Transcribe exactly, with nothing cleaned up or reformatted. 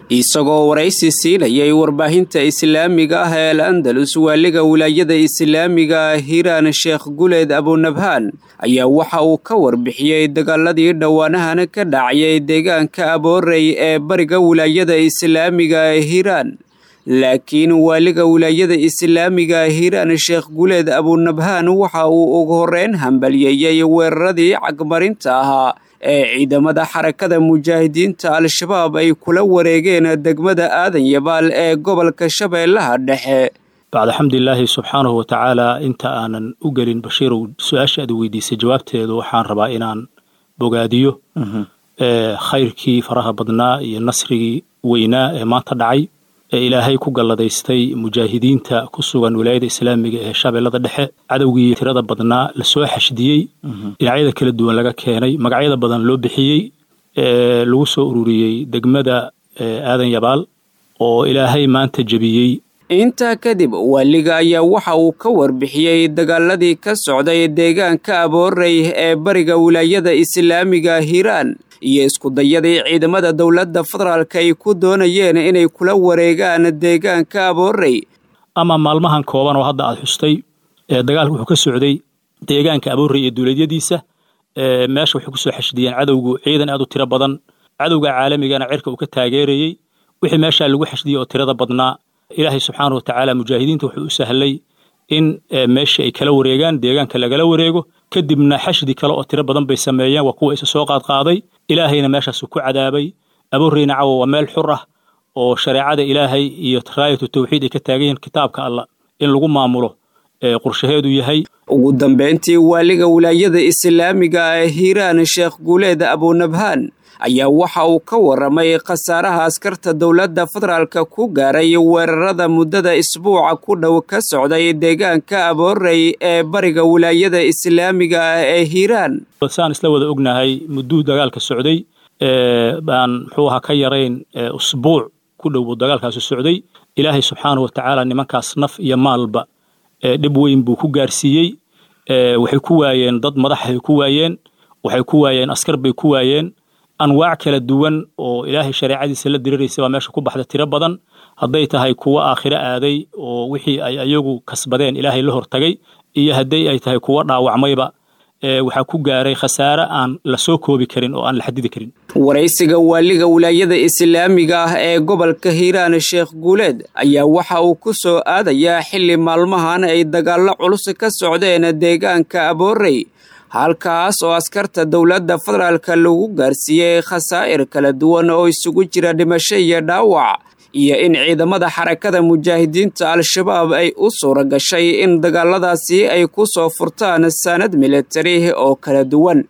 Isagoo waraysi siinayay warbaahinta islaamiga ah ee Al Andalus, waaliga wilaayada islaamiga Hiiraan Sheekh Guleed Abunabhaan ayaa waxa uu ka warbixiyey dagaaladii dhowaanahan ka dhacayay deegaanka Aboorey ee bariga wilaayada islaamiga ee Hiiraan. Laakiin waaliga wilaayada islaamiga Hiiraan Sheekh Guleed Abunabhaan waxa uu ugu horreyn hambalyeeyey weeraradii cagmarinta ahaa ee ciidamada Xarakada Mujaahidiinta Al-Shabaab ay kula wareegeen degmada Aadan Yabaal ee gobolka Shabeellaha Dhexe. Bacda xamdilaahi subxaanahu watacaala, inta aanan u gelin Bashiirow su-aasha aad weydiisay jawaabteedu, waxaan rabaa inaan bogaadiyo khayrkii faraha badnaa iyo nasrigii weynaa ee maanta dhacay ee Ilaahay ku galladaystay mujaahidiinta ku sugan wilaayada islaamiga ee Shabeellada Dhexe. Cadowgii tirada badnaa lasoo xashdiyey, dhinacyada kala duwan laga keenay, magacyada badan loo bixiyey, ee lagu soo ururiyey degmada Aadan Yabaal oo Ilaahay maanta jebiyey. Intaa kadib waaliga ayaa waxa uu ka warbixiyey dagaaladii ka socday deegaanka Aboorey ee bariga wilaayada islaamiga Hiiraan iyo iskudayadii ciidamada dowladda federaalka ay ku doonayeen inay kula wareegaan deegaanka Aboorey. Ama maalmahan kooban oo hadda aad xustay, dagaalku wuxuu ka socday deegaanka Aboorey iyo duuleedyadiisa. Meesha waxay kusoo xashdiyeen cadowgu ciidan aad u tiro badan, cadowga caalamigana cirka uu ka taageerayey. Wixii meeshaa lagu xashdiyey oo tirada badnaa, Ilaahay subxaana watacaala mujaahidiinta wuxuu u sahlay in meesha ay kala wareegaan, deegaanka lagala wareego. Kadibna xashdi kale oo tiro badan bay sameeyeen, waa kuwa isa soo qaadqaaday, Ilaahayna meeshaasuu ku cadaabay. Abooreyna cawa waa meel xur ah oo shareecada Ilaahay iyo raayatu tawxiid ay ka taagan yihiin, kitaabka Allah in lagu maamulo qorshaheedu yahay. Ugu dambeyntii waaliga wilaayada islaamiga ee Hiiraan Sheekh Guuleed Abunabhaan ayaa waxa uu ka waramay khasaaraha askarta dowladda federaalka ku gaaray weerarada muddada isbuuca ku dhow ka socday deegaanka Aboorey ee bariga wilaayada islaamiga ah ee Hiiraan. Saan isla wada ognahay, mudduu dagaalka socday baan muxuu ahaa ka yarayn usbuuc ku dhow buu dagaalkaasi socday. Ilaahay subxaanahu watacaala nimankaas naf iyo maalba dhib weyn buu ku gaarsiiyey. Waxay ku waayeen dad madaxay ku waayeen, waxay ku waayeen askar bay ku waayeen, anwaac kala duwan oo Ilaahay shareecadiisa la diriraysa baa meesha ku baxda tiro badan, hadday tahay kuwo aakhiro aaday oo wixii ay ayagu kasbadeen Ilaahay la hortagay, iyo hadday ay tahay kuwo dhaawacmayba. Waxaa ku gaaray khasaare aan la soo koobi karin oo aan la xadidi karin. Waraysiga waaliga wilaayada islaamiga ah ee gobolka Hiiraan Sheekh Guuleed ayaa waxa uu ku soo aadayaa xilli maalmahan ay dagaallo culus ka socdeen deegaanka Aboorey, halkaas oo askarta dowladda federaalka lagu gaarsiiyey khasaa'ir kala duwan oo isugu jira dhimasho iyo dhaawac, iyo in ciidamada Xarakada Mujaahidiinta Al-Shabaab ay u suura gashay in dagaaladaasi ay ku soo furtaan saanad militari oo kala duwan.